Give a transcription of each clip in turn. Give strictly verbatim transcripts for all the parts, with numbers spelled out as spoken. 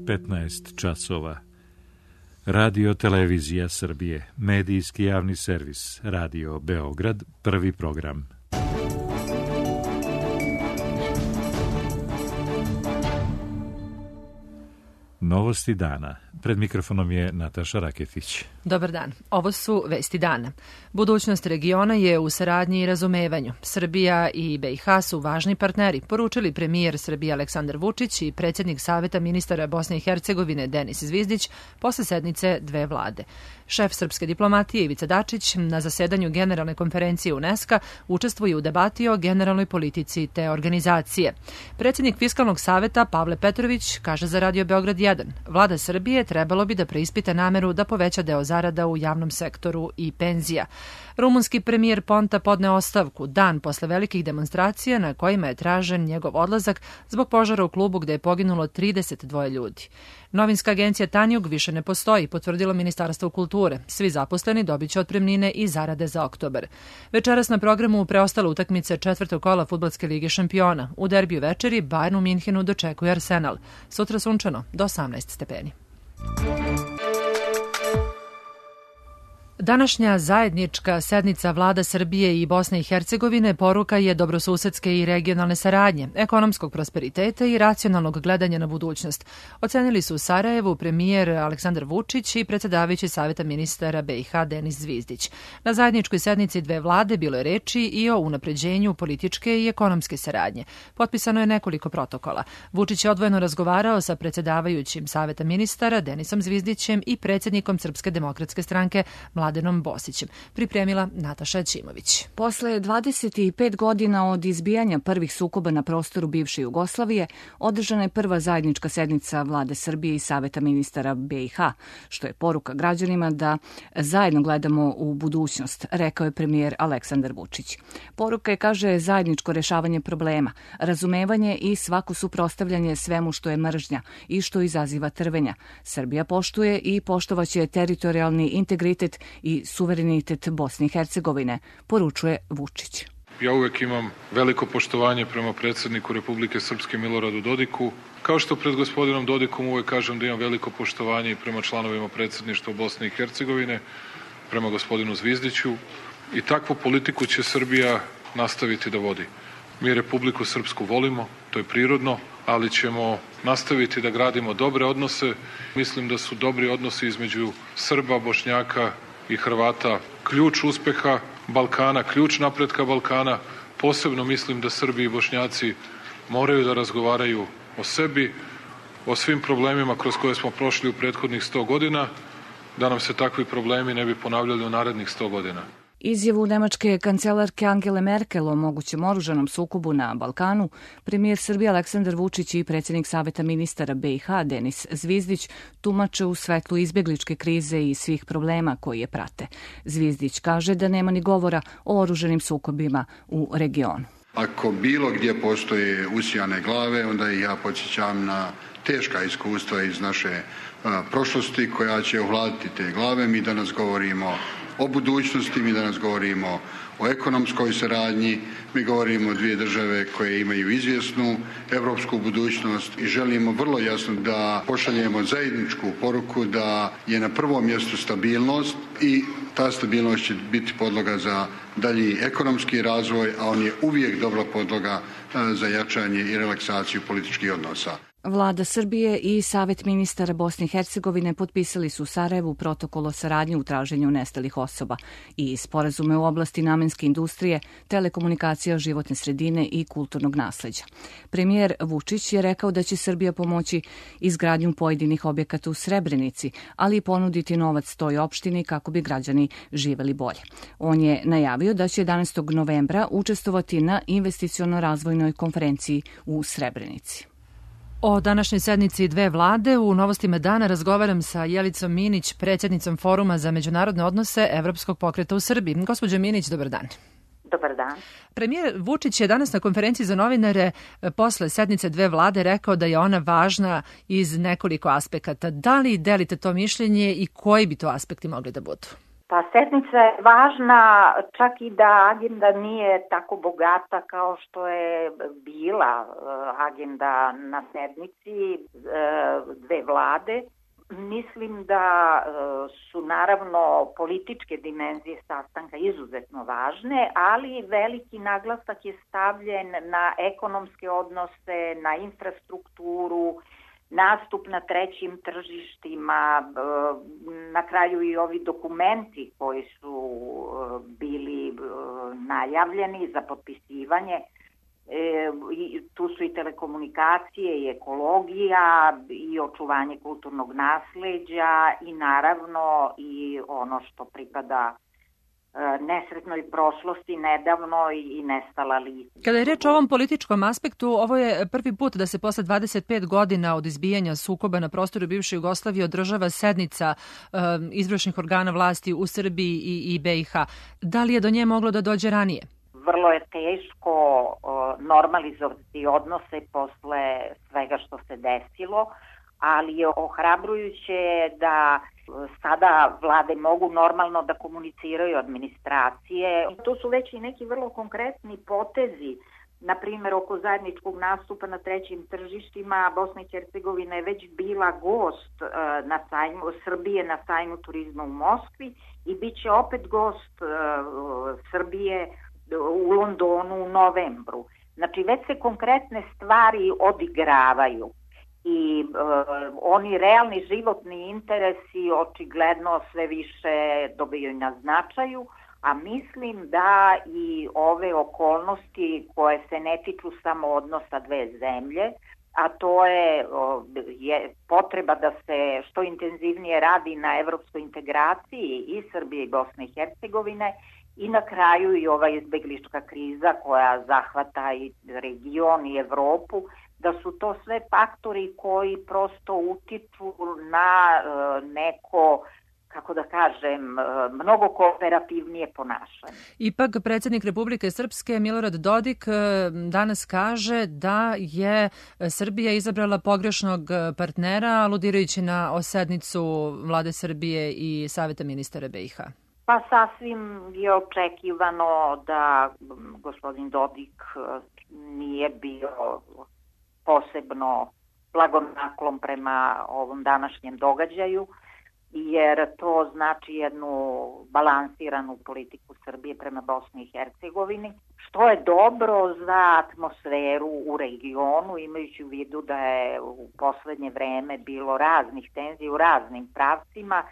petnaest časova. Radio Televizija Srbije, medijski javni servis, Radio Beograd, prvi program. Novosti dana. Pred mikrofonom je Nataša Raketić. Dobar dan. Ovo su vesti dana. Budućnost regiona je u saradnji i razumevanju. Srbija i B i H su važni partneri, poručili premijer Srbije Aleksandar Vučić i predsjednik Saveta ministara Bosne i Hercegovine Denis Zvizdić posle sednice dve vlade. Šef srpske diplomatije Ivica Dačić na zasedanju Generalne konferencije UNESCO učestvuje u debati o generalnoj politici te organizacije. Predsjednik Fiskalnog saveta Pavle Petrović kaže za Radio Beograd jedan: Vlada Srbije trebalo bi da preispita nameru da poveća deo zarada u javnom sektoru i penzija. Rumunski premijer Ponta podneo ostavku dan posle velikih demonstracija na kojima je tražen njegov odlazak zbog požara u klubu gde je poginulo trideset dva ljudi. Novinska agencija Tanjug više ne postoji, potvrdilo Ministarstvo kulture. Svi zaposleni dobit će otpremnine i zarade za oktobar. Večeras na programu preostale utakmice četvrtog kola Fudbalske lige šampiona. U derbiju večeri Bayern u Minhenu dočekuje Arsenal. Sutra sunčano do osamnaest stepeni. Današnja zajednička sednica vlada Srbije i Bosne i Hercegovine poruka je dobrosusedske i regionalne saradnje, ekonomskog prosperiteta i racionalnog gledanja na budućnost. Ocenili su u Sarajevu premijer Aleksandar Vučić i predsjedavajući Saveta ministara B i H Denis Zvizdić. Na zajedničkoj sednici dve vlade bilo je reči i o unapređenju političke i ekonomske saradnje. Potpisano je nekoliko protokola. Vučić je odvojeno razgovarao sa predsjedavajućim Saveta ministara Denisom Zvizdićem i predsjednikom Srpske demokratske stranke Mladenom Bosićem. Pripremila Nataša Ćimović. Posle dvadeset pet godina od izbijanja prvih sukoba na prostoru bivše Jugoslavije, održana je prva zajednička sednica vlade Srbije i Saveta ministara B i H, što je poruka građanima da zajedno gledamo u budućnost, rekao je premijer Aleksandar Vučić. Poruka je, kaže, zajedničko rešavanje problema, razumevanje i svako suprotstavljanje svemu što je mržnja i što izaziva trvenja. Srbija poštuje i poštovaće teritorijalni integritet i suverenitet Bosne i Hercegovine, poručuje Vučić. Ja uvek imam veliko poštovanje prema predsjedniku Republike Srpske Miloradu Dodiku, kao što pred gospodinom Dodikom uvek kažem da imam veliko poštovanje i prema članovima predsjedništva Bosne i Hercegovine, prema gospodinu Zvizdiću, i takvu politiku će Srbija nastaviti da vodi. Mi Republiku Srpsku volimo, to je prirodno, ali ćemo nastaviti da gradimo dobre odnose. Mislim da su dobri odnosi između Srba, Bošnjaka i Hrvata ključ uspeha Balkana, ključ napretka Balkana. Posebno mislim da Srbi i Bošnjaci moraju da razgovaraju o sebi, o svim problemima kroz koje smo prošli u prethodnih sto godina, da nam se takvi problemi ne bi ponavljali u narednih sto godina. Izjavu nemačke kancelarke Angele Merkel o mogućem oružanom sukobu na Balkanu, premijer Srbije Aleksandar Vučić i predsjednik Saveta ministara B i H Denis Zvizdić tumače u svetlu izbjegličke krize i svih problema koji je prate. Zvizdić kaže da nema ni govora o oružanim sukobima u regionu. Ako bilo gdje postoje usijane glave, onda i ja podsjećam na teška iskustva iz naše a, prošlosti koja će ohladiti te glave. Mi danas govorimo o budućnosti, mi danas govorimo o ekonomskoj saradnji, mi govorimo o dvije države koje imaju izvjesnu evropsku budućnost i želimo vrlo jasno da pošaljemo zajedničku poruku da je na prvom mjestu stabilnost i ta stabilnost će biti podloga za dalji ekonomski razvoj, a on je uvijek dobra podloga za jačanje i relaksaciju političkih odnosa. Vlada Srbije i Savet ministara Bosne i Hercegovine potpisali su u Sarajevu protokol o saradnji u traženju nestalih osoba i sporazume u oblasti namenske industrije, telekomunikacija, životne sredine i kulturnog nasleđa. Premijer Vučić je rekao da će Srbija pomoći izgradnju pojedinih objekata u Srebrenici, ali i ponuditi novac toj opštini kako bi građani živeli bolje. On je najavio da će jedanaestog novembra učestvovati na investiciono-razvojnoj konferenciji u Srebrenici. O današnjoj sednici dve vlade u Novostima dana razgovaram sa Jelicom Minić, predsjednicom Foruma za međunarodne odnose Evropskog pokreta u Srbiji. Gospođo Minić, dobar dan. Dobar dan. Premijer Vučić je danas na konferenciji za novinare posle sednice dve vlade rekao da je ona važna iz nekoliko aspekata. Da li delite to mišljenje i koji bi to aspekti mogli da budu? Pa sednica je važna, čak i da agenda nije tako bogata kao što je bila agenda na sednici dve vlade. Mislim da su naravno političke dimenzije sastanka izuzetno važne, ali veliki naglasak je stavljen na ekonomske odnose, na infrastrukturu, nastup na trećim tržištima, na kraju i ovi dokumenti koji su bili najavljeni za potpisivanje. E, tu su i telekomunikacije, i ekologija, i očuvanje kulturnog nasleđa i naravno i ono što pripada nesretnoj prošlosti, nedavno i nestala lica. Kada je reč o ovom političkom aspektu, ovo je prvi put da se posle dvadeset pet godina od izbijanja sukoba na prostoru bivše Jugoslavije održava sednica um, izvršnih organa vlasti u Srbiji i, i B i H. Da li je do nje moglo da dođe ranije? Vrlo je teško uh, normalizovati odnose posle svega što se desilo, ali je ohrabrujuće da sada vlade mogu normalno da komuniciraju administracije. To su već i neki vrlo konkretni potezi, na primjer oko zajedničkog nastupa na trećim tržištima. Bosna i Hercegovina je već bila gost uh, na sajmu, Srbije na sajmu turizma u Moskvi i bit će opet gost uh, Srbije u Londonu u novembru. Znači već se konkretne stvari odigravaju. I uh, oni realni životni interesi očigledno sve više dobijaju na značaju, a mislim da i ove okolnosti koje se ne tiču samo odnosa dve zemlje, a to je, uh, je potreba da se što intenzivnije radi na evropskoj integraciji i Srbije i Bosne i Hercegovine, i na kraju i ova izbeglička kriza koja zahvata i region i Evropu, da su to sve faktori koji prosto utiču na uh, neko, kako da kažem, uh, mnogo kooperativnije ponašanje. Ipak, predsjednik Republike Srpske Milorad Dodik danas kaže da je Srbija izabrala pogrešnog partnera, aludirajući na sednicu Vlade Srbije i Saveta ministara B i H. Pa sasvim je očekivano da gospodin Dodik nije bio posebno blagonaklon prema ovom današnjem događaju, jer to znači jednu balansiranu politiku Srbije prema Bosni i Hercegovini, što je dobro za atmosferu u regionu, imajući u vidu da je u poslednje vreme bilo raznih tenzija u raznim pravcima.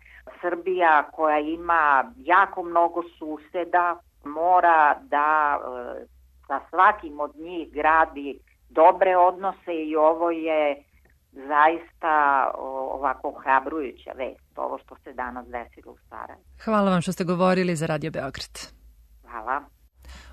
Srbija, koja ima jako mnogo suseda, mora da e, sa svakim od njih gradi dobre odnose i ovo je zaista ovako ohrabrujuća vest, ovo što se danas desilo u Sarajevu. Hvala vam što ste govorili za Radio Beograd. Hvala.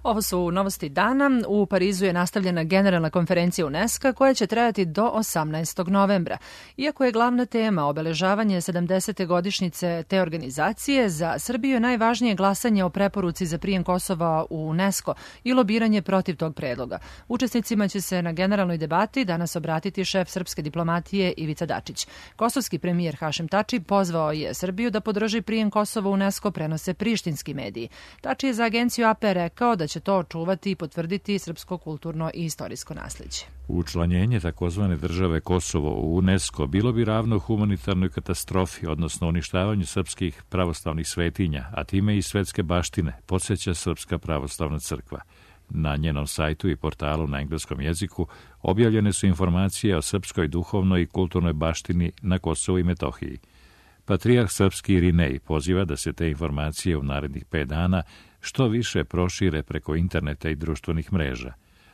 Ovo su novosti dana. U Parizu je nastavljena generalna konferencija UNESCO koja će trajati do osamnaestog novembra. Iako je glavna tema obeležavanje sedamdesete godišnjice te organizacije, za Srbiju je najvažnije glasanje o preporuci za prijem Kosova u UNESCO i lobiranje protiv tog predloga. Učesnicima će se na generalnoj debati danas obratiti šef srpske diplomatije Ivica Dačić. Kosovski premijer Hašim Tači pozvao je Srbiju da podrži prijem Kosova u UNESCO, prenose prištinski mediji. Tači je za agenciju A P rekao da će to očuvati i potvrditi srpsko kulturno i istorijsko nasleđe. Učlanjenje takozvane države Kosovo u UNESCO bilo bi ravno humanitarnoj katastrofi, odnosno uništavanju srpskih pravoslavnih svetinja, a time i svetske baštine, podsjeća Srpska pravoslavna crkva. Na njenom sajtu i portalu na engleskom jeziku objavljene su informacije o srpskoj duhovnoj i kulturnoj baštini na Kosovu i Metohiji. Patrijarh srpski Irinej poziva da se te informacije u narednih pet dana što više prošire preko interneta i društvenih mreža.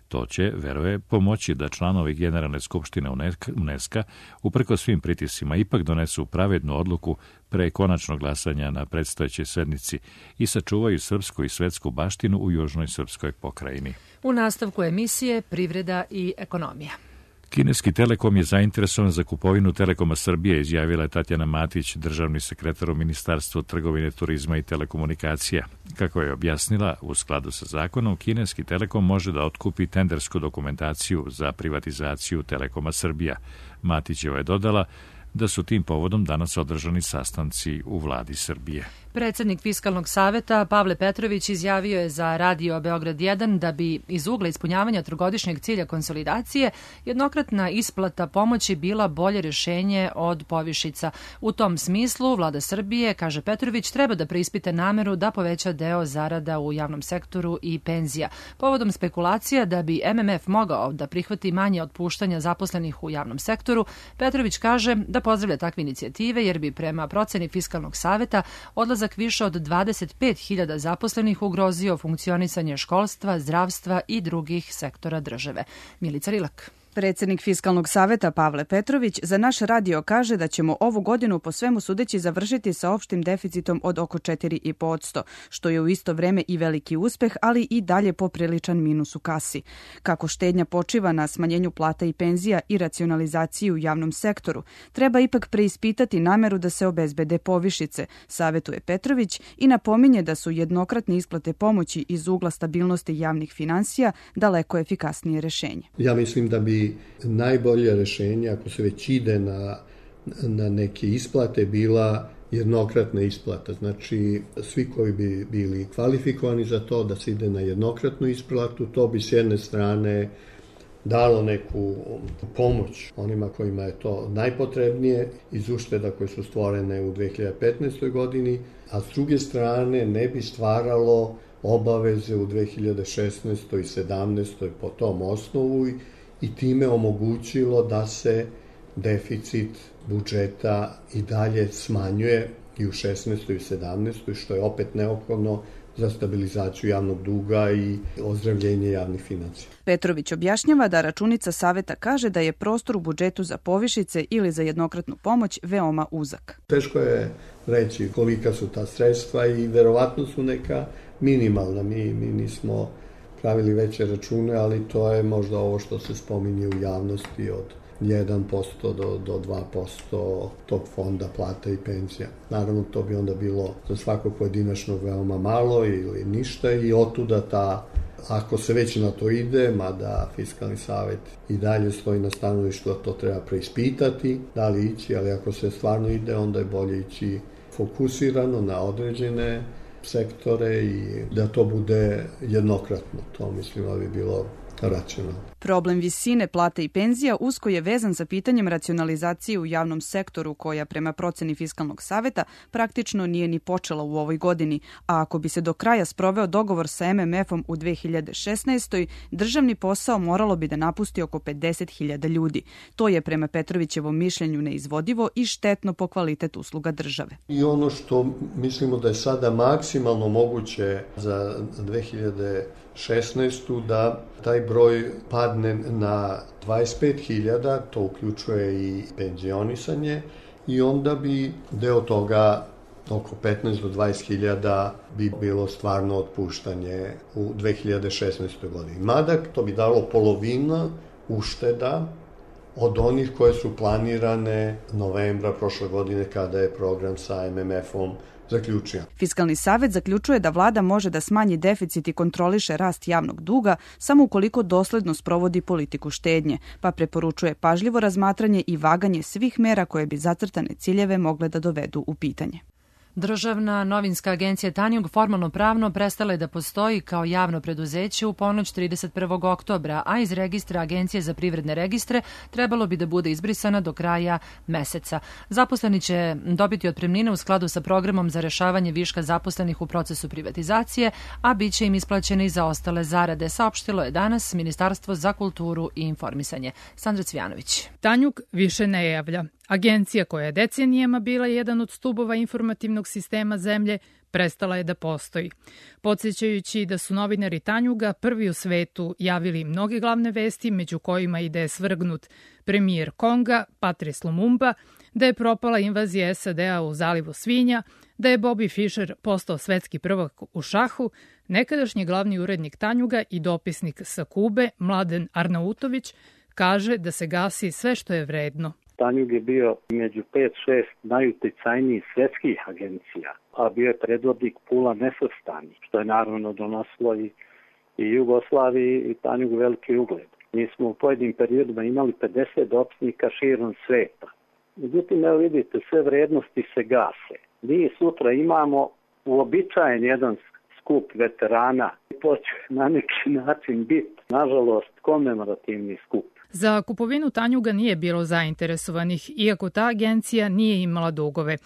To će, veruje, pomoći da članovi Generalne skupštine UNESCO uprkos svim pritiscima ipak donesu pravednu odluku pre konačnog glasanja na predstojećoj sednici i sačuvaju srpsku i svetsku baštinu u južnoj srpskoj pokrajini. U nastavku emisije Privreda i ekonomija. Kineski Telekom je zainteresovan za kupovinu Telekoma Srbije, izjavila je Tatjana Matić, državni sekretar u Ministarstvu trgovine, turizma i telekomunikacija. Kako je objasnila, u skladu sa zakonom, Kineski Telekom može da otkupi tendersku dokumentaciju za privatizaciju Telekoma Srbija. Matićeva je dodala da su tim povodom danas održani sastanci u vladi Srbije. Predsednik Fiskalnog saveta Pavle Petrović izjavio je za Radio Beograd jedan da bi iz ugla ispunjavanja trogodišnjeg cilja konsolidacije jednokratna isplata pomoći bila bolje rješenje od povišica. U tom smislu vlada Srbije, kaže Petrović, treba da preispita nameru da poveća deo zarada u javnom sektoru i penzija. Povodom spekulacija da bi M M F mogao da prihvati manje otpuštanja zaposlenih u javnom sektoru, Petrović kaže da pozdravlja takve inicijative jer bi prema proceni Fiskalnog saveta odlazak više od dvadeset pet hiljada zaposlenih ugrozio funkcionisanje školstva, zdravstva i drugih sektora države. Milica Rilak. Predsednik Fiskalnog saveta Pavle Petrović za naš radio kaže da ćemo ovu godinu po svemu sudeći završiti sa opštim deficitom od oko četiri i po posto, što je u isto vreme i veliki uspeh, ali i dalje popriličan minus u kasi. Kako štednja počiva na smanjenju plata i penzija i racionalizaciji u javnom sektoru, treba ipak preispitati nameru da se obezbede povišice, savetuje Petrović i napominje da su jednokratne isplate pomoći iz ugla stabilnosti javnih finansija daleko efikasnije rešenje. Ja mislim da bi najbolje rešenje, ako se već ide na, na neke isplate, bila jednokratna isplata. Znači, svi koji bi bili kvalifikovani za to da se ide na jednokratnu isplatu, to bi s jedne strane dalo neku pomoć onima kojima je to najpotrebnije iz ušteda koje su stvorene u dve hiljade petnaestoj. godini, a s druge strane ne bi stvaralo obaveze u dve hiljade šesnaestoj. i sedamnaestoj. po tom osnovu i time omogućilo da se deficit budžeta i dalje smanjuje i u šesnaestoj i sedamnaestoj. što je opet neophodno za stabilizaciju javnog duga i ozdravljenje javnih financija. Petrović objašnjava da računica saveta kaže da je prostor u budžetu za povišice ili za jednokratnu pomoć veoma uzak. Teško je reći kolika su ta sredstva i verovatno su neka minimalna. Mi, mi nismo pravili veće račune, ali to je možda ovo što se spominje u javnosti od jedan posto do, do dva posto tog fonda plata i penzija. Naravno, to bi onda bilo za svakog pojedinačnog veoma malo ili ništa i otuda ta, ako se već na to ide, mada Fiskalni savet i dalje stoji na stanovištu da to treba preispitati, da li ići, ali ako se stvarno ide, onda je bolje ići fokusirano na određene sektore i da to bude jednokratno. To mislim da bi bilo racionalno. Problem visine plata i penzija usko je vezan sa pitanjem racionalizacije u javnom sektoru koja prema proceni Fiskalnog saveta praktično nije ni počela u ovoj godini, a ako bi se do kraja sproveo dogovor sa M M F-om u dve hiljade šesnaestoj. državni posao moralo bi da napusti oko pedeset hiljada ljudi. To je prema Petrovićevom mišljenju neizvodivo i štetno po kvalitet usluga države. I ono što mislimo da je sada maksimalno moguće za dve hiljade šesnaestu. da taj broj padne na dvadeset pet hiljada, to uključuje i penzionisanje, i onda bi deo toga, oko petnaest do dvadeset hiljada, bi bilo stvarno otpuštanje u dve hiljade šesnaestoj. godini. Mada to bi dalo polovina ušteda od onih koje su planirane novembra prošle godine kada je program sa M M F-om zaključio. Fiskalni savet zaključuje da vlada može da smanji deficit i kontroliše rast javnog duga samo ukoliko dosledno sprovodi politiku štednje, pa preporučuje pažljivo razmatranje i vaganje svih mera koje bi zacrtane ciljeve mogle da dovedu u pitanje. Državna novinska agencija Tanjug formalno pravno prestala je da postoji kao javno preduzeće u ponoć trideset prvog oktobra, a iz registra Agencije za privredne registre trebalo bi da bude izbrisana do kraja meseca. Zaposleni će dobiti otpremnine u skladu sa programom za rešavanje viška zaposlenih u procesu privatizacije, a bit će im isplaćene i za ostale zarade, saopštilo je danas Ministarstvo za kulturu i informisanje. Sandra Cvjanović. Tanjug više ne javlja. Agencija koja je decenijama bila jedan od stubova informativnog sistema zemlje prestala je da postoji. Podsjećajući da su novinari Tanjuga prvi u svetu javili mnoge glavne vesti, među kojima i da je svrgnut premijer Konga, Patrice Lumumba, da je propala invazija S A D-a u zalivu svinja, da je Bobby Fischer postao svetski prvak u šahu, nekadašnji glavni urednik Tanjuga i dopisnik sa Kube, Mladen Arnautović, kaže da se gasi sve što je vredno. Tanjug je bio među pet šest najuticajnijih svetskih agencija, a bio je predvodnik Pula nesvrstanih, što je naravno donosilo i, i Jugoslaviji i Tanjugu veliki ugled. Mi smo u pojedinim periodima imali pedeset dopisnika širom sveta. Međutim, evo vidite, sve vrednosti se gase. Mi sutra imamo uobičajen jedan skup veterana. To će na neki način biti, nažalost, komemorativni skup. Za kupovinu Tanjuga nije bilo zainteresovanih, iako ta agencija nije imala dugove.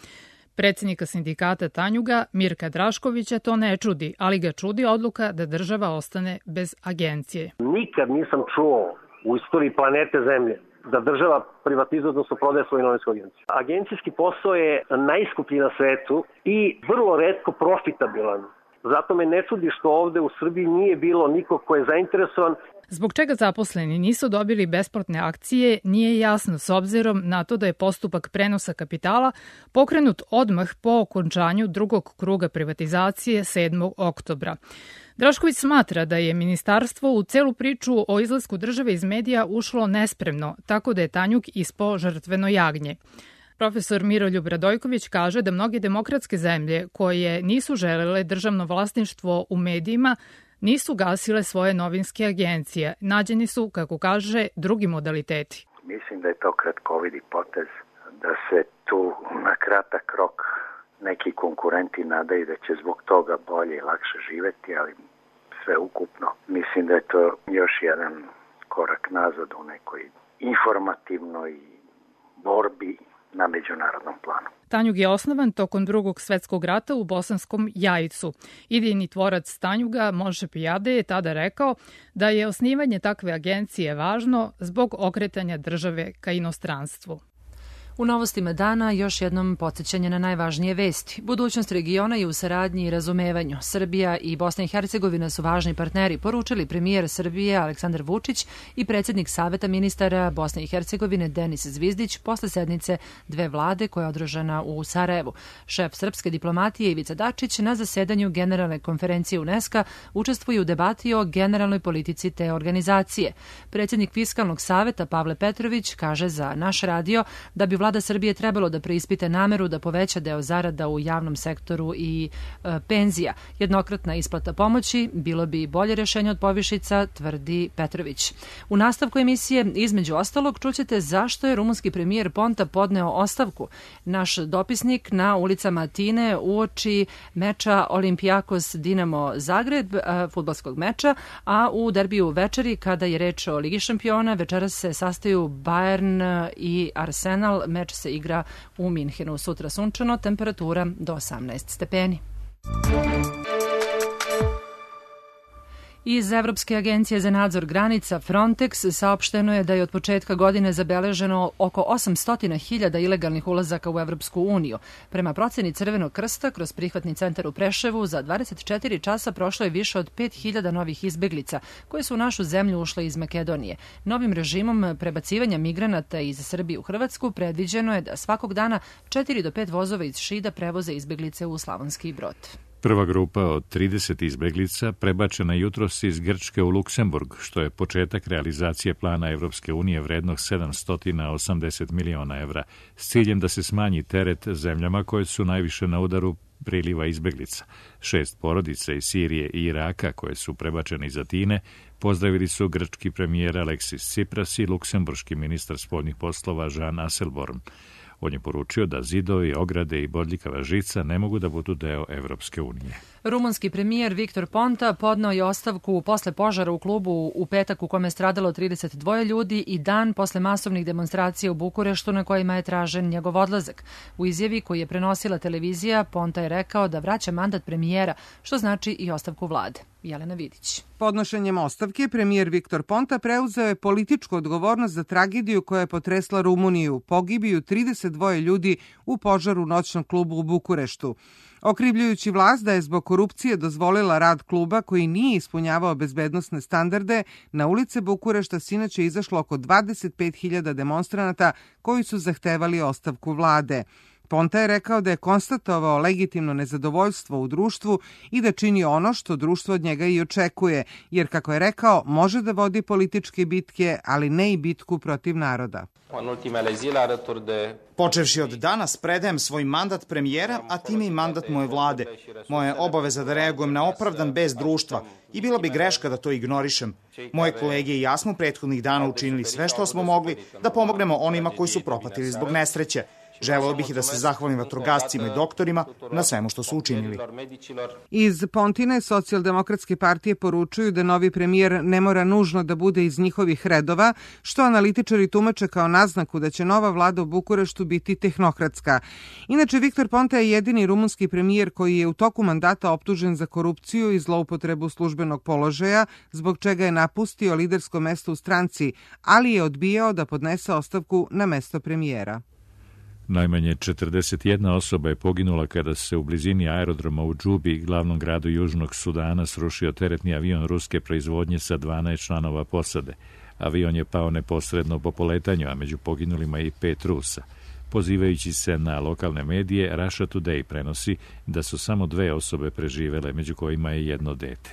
Predsjednika sindikata Tanjuga, Mirka Draškovića, to ne čudi, ali ga čudi odluka da država ostane bez agencije. Nikad nisam čuo u istoriji planete Zemlje da država privatizuje, odnosno prodaje svoju novinsku agenciju. Agencijski posao je najskuplji na svetu i vrlo retko profitabilan. Zato me ne čudi što ovde u Srbiji nije bilo nikog ko je zainteresovan. Zbog čega zaposleni nisu dobili besplatne akcije nije jasno s obzirom na to da je postupak prenosa kapitala pokrenut odmah po okončanju drugog kruga privatizacije sedmog oktobra. Drašković smatra da je ministarstvo u celu priču o izlasku države iz medija ušlo nespremno, tako da je Tanjug ispao žrtveno jagnje. Profesor Miroljub Radojković kaže da mnoge demokratske zemlje koje nisu želele državno vlasništvo u medijima nisu gasile svoje novinske agencije. Nađeni su, kako kaže, drugi modaliteti. Mislim da je to kratkovidi potez, da se tu na kratak rok neki konkurenti nadaju da će zbog toga bolje i lakše živeti, ali sve ukupno. Mislim da je to još jedan korak nazad u nekoj informativnoj borbi na međunarodnom planu. Tanjug je osnovan tokom drugog svetskog rata u Bosanskom Jajcu. Idejni tvorac Tanjuga, Moše Pijade, je tada rekao da je osnivanje takve agencije važno zbog okretanja države ka inostranstvu. U novostima dana još jednom podsjećanje na najvažnije vesti. Budućnost regiona je u saradnji i razumevanju. Srbija i Bosna i Hercegovina su važni partneri, poručili premijer Srbije Aleksandar Vučić i predsjednik Saveta ministara Bosne i Hercegovine Denis Zvizdić posle sednice dve vlade koja je održana u Sarajevu. Šef srpske diplomatije Ivica Dačić na zasedanju Generalne konferencije UNESCO učestvuje u debati o generalnoj politici te organizacije. Predsjednik Fiskalnog saveta Pavle Petrović kaže za naš radio da bi vlada Srbije trebalo da preispite nameru da poveća deo zarada u javnom sektoru i e, penzija. Jednokratna isplata pomoći bilo bi bolje rješenje od povišica, tvrdi Petrović. U nastavku emisije, između ostalog, čućete zašto je rumunski premijer Ponta podneo ostavku. Naš dopisnik na ulicama Atine uoči meča Olimpijakos Dinamo Zagreb, fudbalskog meča, a u derbiju večeri, kada je reč o Ligi šampiona, večeras se sastaju Bayern i Arsenal. Meč se igra u Minhenu. Sutra sunčano, temperatura do osamnaest stepeni. Iz Evropske agencije za nadzor granica Frontex saopšteno je da je od početka godine zabeleženo oko osamsto hiljada ilegalnih ulazaka u Evropsku uniju. Prema proceni Crvenog krsta, kroz prihvatni centar u Preševu za dvadeset četiri časa prošlo je više od pet hiljada novih izbeglica koje su u našu zemlju ušle iz Makedonije. Novim režimom prebacivanja migranata iz Srbije u Hrvatsku predviđeno je da svakog dana četiri do pet vozova iz Šida prevoze izbeglice u Slavonski Brod. Prva grupa od trideset izbeglica prebačena jutros iz Grčke u Luksemburg, što je početak realizacije plana Evropske unije vrednog sedamsto osamdeset miliona evra, s ciljem da se smanji teret zemljama koje su najviše na udaru priliva izbeglica. Šest porodica iz Sirije i Iraka koje su prebačene iz Atine pozdravili su grčki premijer Aleksis Tsipras i luksemburški ministar spoljnih poslova Jean Asselborn. On je poručio da zidovi, ograde i bodljikava žica ne mogu da budu deo Evropske unije. Rumunski premijer Viktor Ponta podneo je ostavku posle požara u klubu u petak u kome je stradalo trideset dva ljudi i dan posle masovnih demonstracija u Bukureštu na kojima je tražen njegov odlazak. U izjavi koju je prenosila televizija, Ponta je rekao da vraća mandat premijera, što znači i ostavku vlade. Jelena Vidić. Podnošenjem ostavke, premijer Viktor Ponta preuzeo je političku odgovornost za tragediju koja je potresla Rumuniju, pogibiju trideset dva ljudi u požaru u noćnom klubu u Bukureštu. Okrivljujući vlast da je zbog korupcije dozvolila rad kluba koji nije ispunjavao bezbednosne standarde, na ulice Bukurešta sinoć je izašlo oko dvadeset pet hiljada demonstranata koji su zahtevali ostavku vlade. Ponta je rekao da je konstatovao legitimno nezadovoljstvo u društvu i da čini ono što društvo od njega i očekuje, jer, kako je rekao, može da vodi političke bitke, ali ne i bitku protiv naroda. Počevši od danas predajem svoj mandat premijera, a time i mandat moje vlade. Moja je obaveza da reagujem na opravdan bez društva i bila bi greška da to ignorišem. Moje kolege i ja smo prethodnih dana učinili sve što smo mogli da pomognemo onima koji su propatili zbog nesreće. Želeo bih i da se zahvalim vatrogascima i doktorima na svemu što su učinili. Iz Pontine Socijaldemokratske partije poručuju da novi premijer ne mora nužno da bude iz njihovih redova, što analitičari tumače kao naznaku da će nova vlada u Bukureštu biti tehnokratska. Inače, Viktor Ponta je jedini rumunski premijer koji je u toku mandata optužen za korupciju i zloupotrebu službenog položaja, zbog čega je napustio lidersko mesto u stranci, ali je odbijao da podnese ostavku na mesto premijera. Najmanje četrdeset jedna osoba je poginula kada se u blizini aerodroma u Džubi, glavnom gradu Južnog Sudana, srušio teretni avion ruske proizvodnje sa dvanaest članova posade. Avion je pao neposredno po poletanju, a među poginulima je i pet Rusa. Pozivajući se na lokalne medije, Russia Today prenosi da su samo dve osobe preživele, među kojima je jedno dete.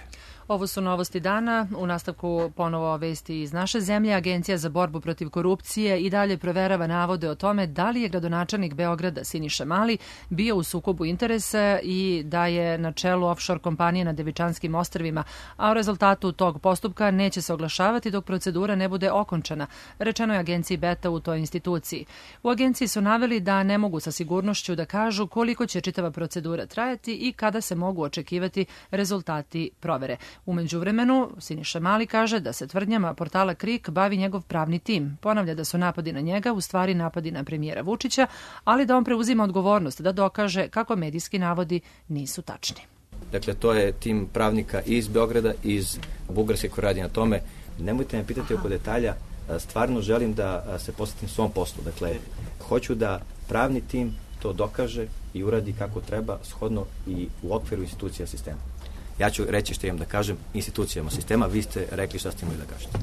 Ovo su novosti dana. U nastavku ponovo vesti iz naše zemlje. Agencija za borbu protiv korupcije i dalje proverava navode o tome da li je gradonačelnik Beograda Siniša Mali bio u sukobu interesa i da je na čelu offshore kompanije na Devičanskim ostrvima, a o rezultatu tog postupka neće se oglašavati dok procedura ne bude okončana, rečeno je agenciji Beta u toj instituciji. U agenciji su naveli da ne mogu sa sigurnošću da kažu koliko će čitava procedura trajati i kada se mogu očekivati rezultati provere. U međuvremenu, Siniša Mali kaže da se tvrdnjama portala Krik bavi njegov pravni tim. Ponavlja da su napadi na njega u stvari napadi na premijera Vučića, ali da on preuzima odgovornost da dokaže kako medijski navodi nisu tačni. Dakle, to je tim pravnika iz Beograda, iz Bugarske koji radi na tome. Nemojte me pitati oko detalja, stvarno želim da se posvetim svom poslu. Dakle, hoću da pravni tim to dokaže i uradi kako treba, shodno i u okviru institucija sistema. Ja ću reći što imam da kažem institucijama sistema, vi ste rekli šta ste imali da kažete.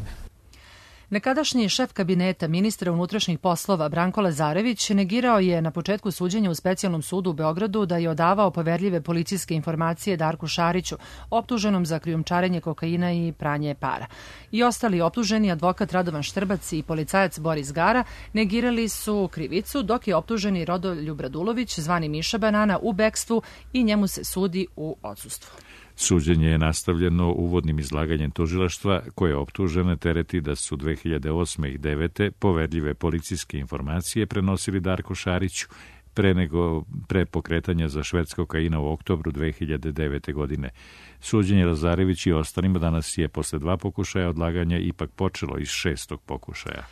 Nekadašnji šef kabineta ministra unutrašnjih poslova Branko Lazarević negirao je na početku suđenja u specijalnom sudu u Beogradu da je odavao poverljive policijske informacije Darku Šariću, optuženom za krijumčarenje kokaina i pranje para. I ostali optuženi, advokat Radovan Štrbac i policajac Boris Gara, negirali su krivicu, dok je optuženi Rodoljub Radulović, zvani Miša Banana, u bekstvu i njemu se sudi u odsustvu. Suđenje je nastavljeno uvodnim izlaganjem tužilaštva koje optužene tereti da su dve hiljade osme i devete poverljive policijske informacije prenosili Darku Šariću pre nego pre pokretanja za šverc kokaina u oktobru dve hiljade devete. godine. Suđenje Lazarević i ostalima danas je posle dva pokušaja odlaganja ipak počelo iz šestog pokušaja.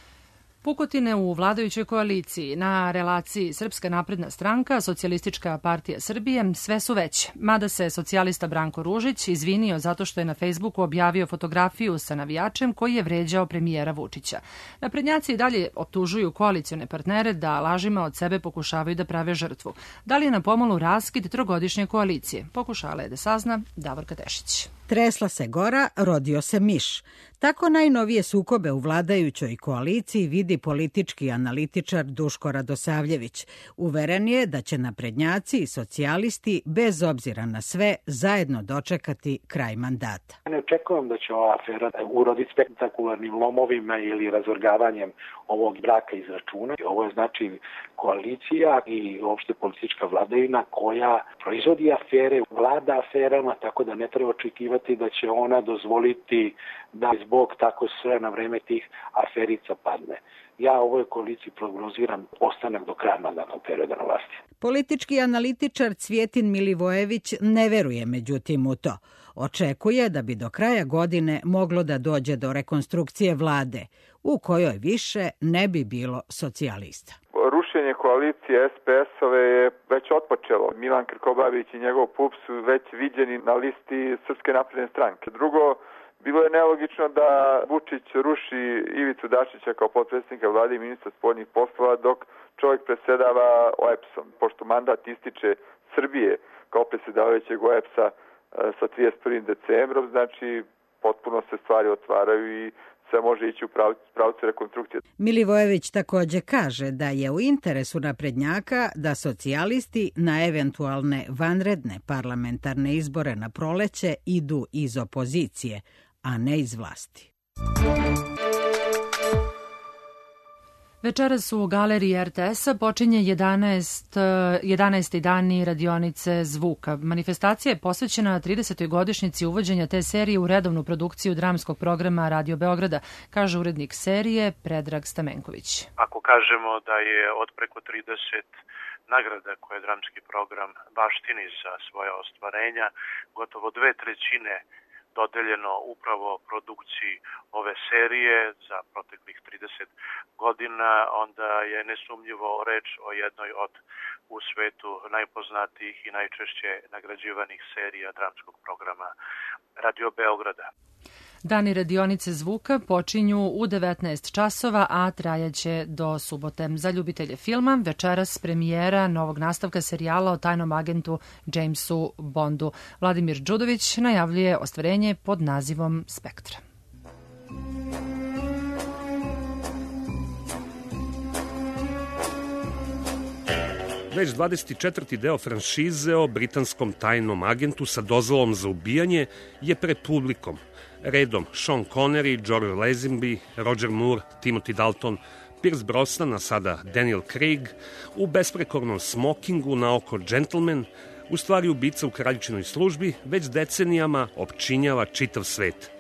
Pukotine u vladajućoj koaliciji na relaciji Srpska napredna stranka, Socijalistička partija Srbije sve su veće, mada se socijalista Branko Ružić izvinio zato što je na Facebooku objavio fotografiju sa navijačem koji je vređao premijera Vučića. Naprednjaci i dalje optužuju koalicione partnere da lažima od sebe pokušavaju da prave žrtvu. Da li je na pomolu raskid trogodišnje koalicije? Pokušala je da sazna Davorka Tešić. Tresla se gora, rodio se miš. Tako najnovije sukobe u vladajućoj koaliciji vidi politički analitičar Duško Radosavljević. Uveren je da će naprednjaci i socijalisti, bez obzira na sve, zajedno dočekati kraj mandata. Ne očekujem da će ova afera uroditi spektakularnim lomovima ili razorgavanjem ovog braka iz računa. Ovo je znači koalicija i uopšte politička vladavina koja proizvodi afere, vlada aferama, tako da ne treba očekivati da će ona dozvoliti da zbog tako sve na vreme tih aferica padne. Ja ovoj koaliciji prognoziram ostanak do kraja mandatnog perioda na vlasti. Politički analitičar Cvjetin Milivojević ne veruje međutim u to. Očekuje da bi do kraja godine moglo da dođe do rekonstrukcije vlade, u kojoj više ne bi bilo socijalista. Rušenje koalicije es pe es-ove je već otpočelo. Milan Krkobabić i njegov P U P su već viđeni na listi Srpske napredne stranke. Drugo, bilo je nelogično da Vučić ruši Ivicu Dačića kao potpredsjednika vlade i ministra spoljnih poslova dok čovjek predsjedava o e pe es-om. Pošto mandat ističe Srbije kao predsjedavajućeg o e pe es-a sa trideset prvim decembrom, znači potpuno se stvari otvaraju i sve može ići u pravcu rekonstrukcije. Milivojević takođe kaže da je u interesu naprednjaka da socijalisti na eventualne vanredne parlamentarne izbore na proleće idu iz opozicije, a ne iz vlasti. Večeras u galeriji er te es-a počinje jedanaesti dani radionice zvuka. Manifestacija je posvećena tridesetoj godišnjici uvođenja te serije u redovnu produkciju dramskog programa Radio Beograda, kaže urednik serije Predrag Stamenković. Ako kažemo da je od preko trideset nagrada koje dramski program baštini za svoja ostvarenja, gotovo dve trećine dodeljeno upravo produkciji ove serije za proteklih trideset godina, onda je nesumnjivo reč o jednoj od u svetu najpoznatijih i najčešće nagrađivanih serija dramskog programa Radio Beograda. Dani radionice zvuka počinju u devetnaest časova, a trajaće do subote. Za ljubitelje filma večeras premijera novog nastavka serijala o tajnom agentu Jamesu Bondu. Vladimir Đudović najavljuje ostvarenje pod nazivom Spektra. Već dvadeset četvrti deo franšize o britanskom tajnom agentu sa dozvolom za ubijanje je pred publikom. Redom Sean Connery, George Lazenby, Roger Moore, Timothy Dalton, Pierce Brosnan, a sada Daniel Craig, u besprekornom smokingu na oko džentlmen, u stvari ubica u kraljičinoj službi, već decenijama opčinjava čitav svet.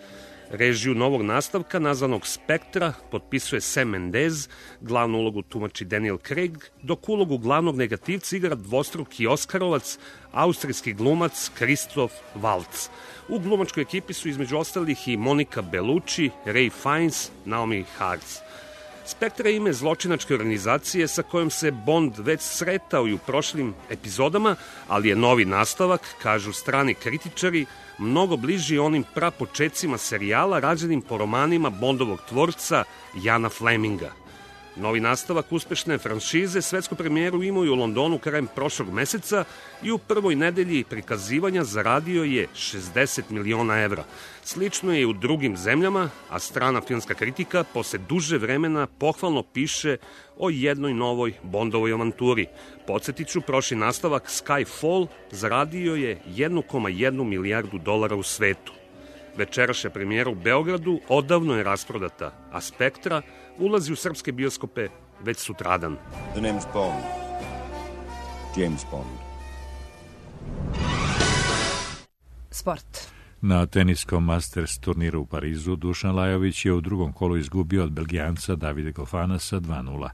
Režiju novog nastavka, nazvanog Spektra, potpisuje Sam Mendes, glavnu ulogu tumači Daniel Craig, dok ulogu glavnog negativca igra dvostruki Oskarovac, austrijski glumac Christoph Waltz. U glumačkoj ekipi su između ostalih i Monica Bellucci, Ray Fiennes, Naomi Hartz. Spektra je ime zločinačke organizacije sa kojom se Bond već sretao i u prošlim epizodama, ali je novi nastavak, kažu strani kritičari, mnogo bliži onim prapočecima serijala rađenim po romanima Bondovog tvorca Jana Fleminga. Novi nastavak uspešne franšize svetsku premijeru imao i u Londonu krajem prošlog meseca i u prvoj nedelji prikazivanja zaradio je šezdeset miliona evra. Slično je i u drugim zemljama, a strana filmska kritika posle duže vremena pohvalno piše o jednoj novoj Bondovoj avanturi. Podsjetiću, prošli nastavak Skyfall zaradio je jedan zarez jedan milijardu dolara u svetu. Večerašnja premijera u Beogradu odavno je rasprodata, a Spektra ulazi u srpske bioskope već sutradan. The name's Bond. James Bond. Sport. Na teniskom Masters turniru u Parizu Dušan Lajović je u drugom kolu izgubio od Belgijanca Davide Gofanasa dva nula.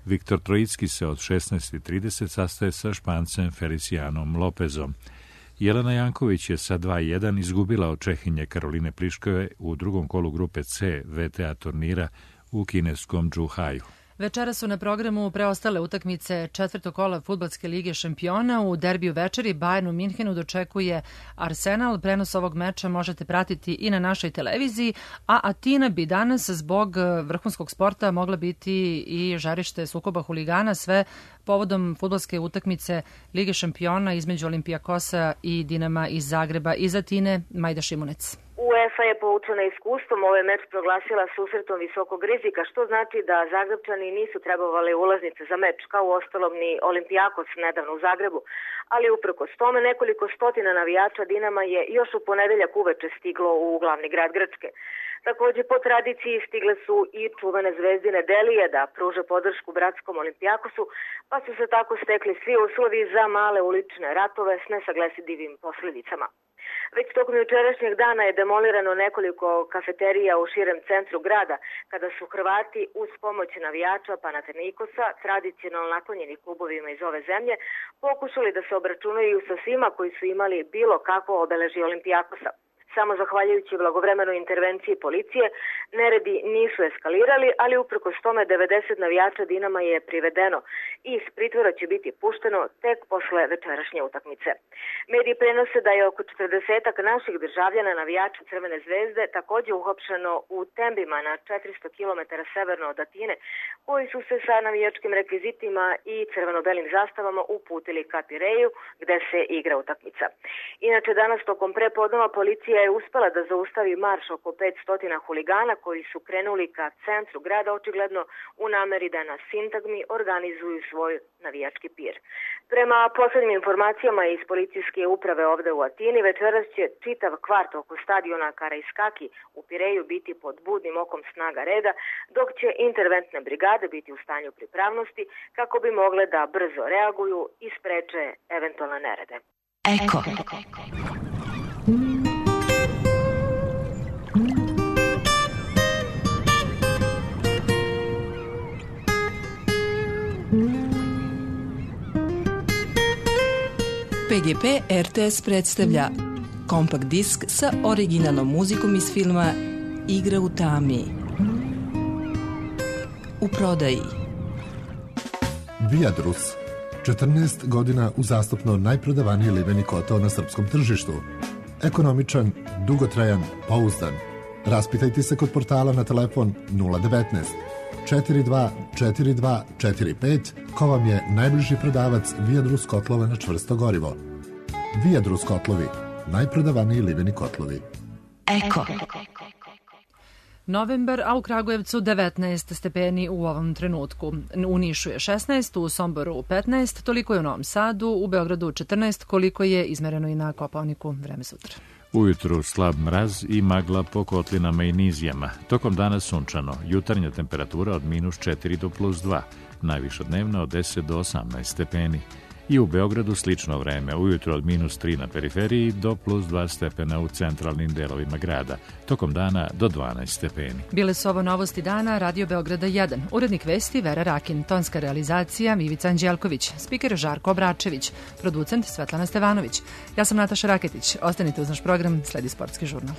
Viktor Trojicki se od šesnaest trideset sastaje sa Špancem Felicianom Lopezom. Jelena Janković je sa dva jedan izgubila od Čehinje Karoline Pliškove u drugom kolu grupe C V T A turnira u kineskom Džuhaju. Večera su na programu preostale utakmice četvrtog kola Fudbalske lige šampiona. U derbiju večeri Bayern u Minhenu dočekuje Arsenal. Prenos ovog meča možete pratiti i na našoj televiziji, a Atina bi danas zbog vrhunskog sporta mogla biti i žarište sukoba huligana, sve povodom fudbalske utakmice Lige šampiona između Olimpijakosa i Dinama iz Zagreba. Iz Atine, Majda Šimunec. UEFA je poučena iskustvom ovaj meč proglasila susretom visokog rizika, što znači da Zagrebčani nisu trebovali ulaznice za meč, kao u ostalom ni Olimpijakos nedavno u Zagrebu, ali uprkos tome nekoliko stotina navijača Dinama je još u ponedeljak uveče stiglo u glavni grad Grčke. Takođe, po tradiciji stigle su i čuvene zvezdine Delije da pruže podršku bratskom Olimpijakosu, pa su se tako stekli svi uslovi za male ulične ratove s nesaglesidivim posledicama. Već tokom jučerašnjeg dana je demolirano nekoliko kafeterija u širem centru grada, kada su Hrvati uz pomoć navijača Panathinaikosa, tradicionalno naklonjeni klubovima iz ove zemlje, pokušali da se obračunaju sa svima koji su imali bilo kakvo obeležje Olimpijakosa. Samo zahvaljujući blagovremenoj intervenciji policije, neredi nisu eskalirali, ali uprkos tome devedeset navijača Dinama je privedeno i iz pritvora će biti pušteno tek posle večerašnje utakmice. Mediji prenose da je oko četrdesetak naših državljana navijača Crvene zvezde takođe uhapšeno u Tembima na četiristo kilometara severno od Atine, koji su se sa navijačkim rekvizitima i crveno-belim zastavama uputili ka Pireju, gde se igra utakmica. Inače, danas tokom prepodneva policija je uspela da zaustavi marš oko petsto huligana koji su krenuli ka centru grada, očigledno u nameri da na sintagmi organizuju svoj navijački pir. Prema poslednjim informacijama iz policijske uprave ovde u Atini, večeras će čitav kvart oko stadiona Karaiskaki u Pireju biti pod budnim okom snaga reda, dok će interventne brigade biti u stanju pripravnosti kako bi mogle da brzo reaguju i spreče eventualne nerede. Eko. P G P R T S predstavlja kompakt disk sa originalnom muzikom iz filma Igra u tami. U prodaji Viadrus, četrnaest godina uzastopno najprodavaniji liveni kotao na srpskom tržištu. Ekonomičan, dugotrajan, pouzdan. Raspitajte se kod portala na telefon nula devet četiri dva četiri dva četiri pet ko vam je najbliži prodavac Viadrus kotlova na čvrsto gorivo. Viadrus kotlovi, najprodavaniji liveni kotlovi. Eko. Novembar, a u Kragujevcu devetnaest stepeni u ovom trenutku. U Nišu je šesnaest, u Somboru petnaest, toliko je u Novom Sadu, u Beogradu četrnaest, koliko je izmereno i na Kopaoniku. Vreme sutra. Ujutru slab mraz i magla po kotlinama i nizijama. Tokom dana sunčano, jutarnja temperatura od minus četiri do plus dva, najviša dnevna od deset do osamnaest stepeni. I u Beogradu slično vreme, ujutro od minus tri na periferiji do plus dva stepena u centralnim delovima grada, tokom dana do dvanaest stepeni. Bile su ovo novosti dana, Radio Beograda jedan. Urednik vesti Vera Rakin, tonska realizacija Ivica Anđelković, spiker Žarko Obračević, producent Svetlana Stevanović. Ja sam Nataša Raketić, ostanite uz naš program, sledi sportski žurnal.